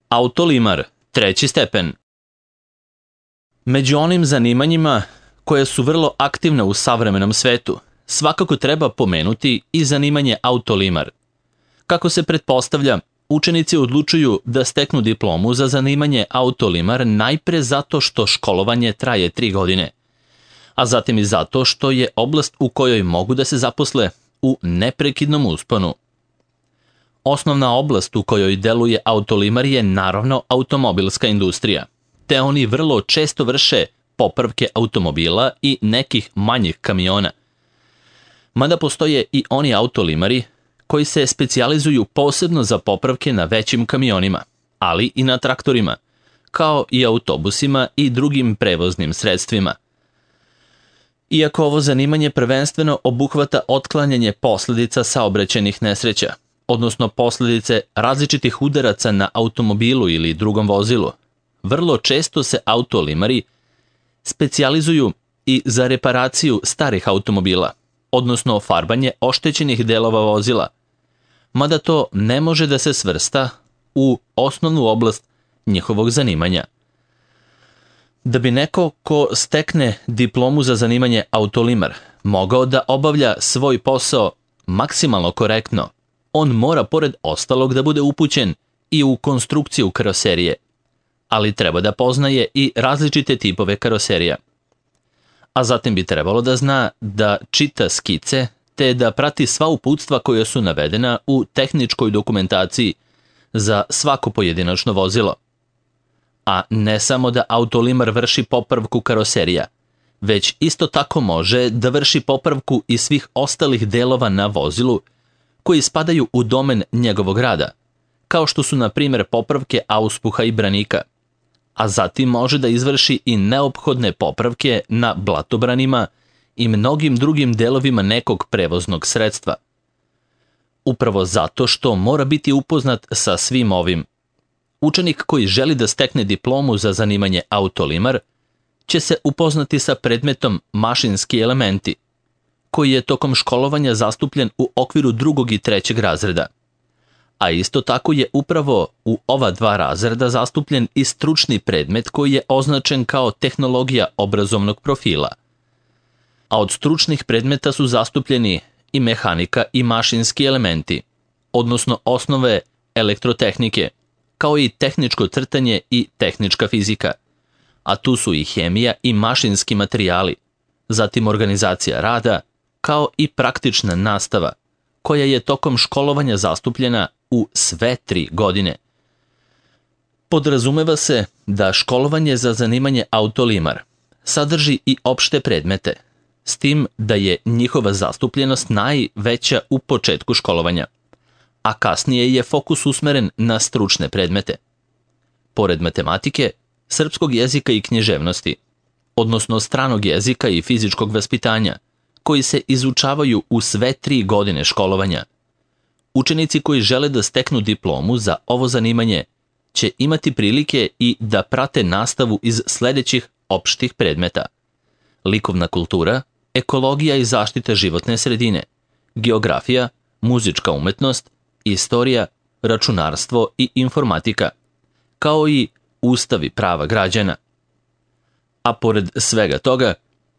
Autolimar, 3. stepen. Među onim zanimanjima koje su vrlo aktivne u savremenom svetu, svakako treba pomenuti i zanimanje autolimar. Kako se pretpostavlja, učenici odlučuju da steknu diplomu za zanimanje autolimar najpre zato što školovanje traje 3 godine, a zatim i zato što je oblast u kojoj mogu da se zaposle u neprekidnom usponu. Osnovna oblast u kojoj deluje autolimar je naravno automobilska industrija, te oni vrlo često vrše popravke automobila i nekih manjih kamiona. Mada postoje i oni autolimari koji se specijalizuju posebno za popravke na većim kamionima, ali i na traktorima, kao i autobusima i drugim prevoznim sredstvima. Iako ovo zanimanje prvenstveno obuhvata otklanjanje posledica saobraćajnih nesreća, odnosno posledice različitih udaraca na automobilu ili drugom vozilu, vrlo često se autolimari specijalizuju i za reparaciju starih automobila, odnosno farbanje oštećenih delova vozila, mada to ne može da se svrsta u osnovnu oblast njihovog zanimanja. Da bi neko ko stekne diplomu za zanimanje autolimar mogao da obavlja svoj posao maksimalno korektno, on mora pored ostalog da bude upućen i u konstrukciju karoserije, ali treba da poznaje i različite tipove karoserija. A zatim bi trebalo da zna da čita skice te da prati sva uputstva koja su navedena u tehničkoj dokumentaciji za svako pojedinačno vozilo. A ne samo da autolimar vrši popravku karoserija, već isto tako može da vrši popravku i svih ostalih delova na vozilu koji spadaju u domen njegovog rada, kao što su na primjer popravke auspuha i branika, a zatim može da izvrši i neophodne popravke na blatobranima i mnogim drugim delovima nekog prevoznog sredstva. Upravo zato što mora biti upoznat sa svim ovim, učenik koji želi da stekne diplomu za zanimanje autolimar će se upoznati sa predmetom mašinski elementi, koji je tokom školovanja zastupljen u okviru 2. i 3. razreda. A isto tako je upravo u ova 2 razreda zastupljen i stručni predmet koji je označen kao tehnologija obrazovnog profila. A od stručnih predmeta su zastupljeni i mehanika i mašinski elementi, odnosno osnove elektrotehnike, kao i tehničko crtanje i tehnička fizika. A tu su i hemija i mašinski materijali, zatim organizacija rada, kao i praktična nastava, koja je tokom školovanja zastupljena u sve 3 godine. Podrazumeva se da školovanje za zanimanje autolimar sadrži i opšte predmete, s tim da je njihova zastupljenost najveća u početku školovanja, a kasnije je fokus usmeren na stručne predmete. Pored matematike, srpskog jezika i književnosti, odnosno stranog jezika i fizičkog vaspitanja, koji se izučavaju u sve 3 godine školovanja, učenici koji žele da steknu diplomu za ovo zanimanje će imati prilike i da prate nastavu iz sledećih opštih predmeta: likovna kultura, ekologija i zaštita životne sredine, geografija, muzička umetnost, istorija, računarstvo i informatika, kao i ustav i prava građana. A pored svega toga,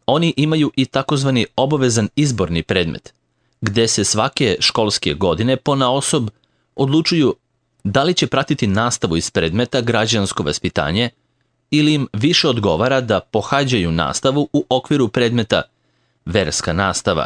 oni imaju i takozvani obavezan izborni predmet, gde se svake školske godine ponaosob odlučuju da li će pratiti nastavu iz predmeta građansko vaspitanje ili im više odgovara da pohađaju nastavu u okviru predmeta verska nastava.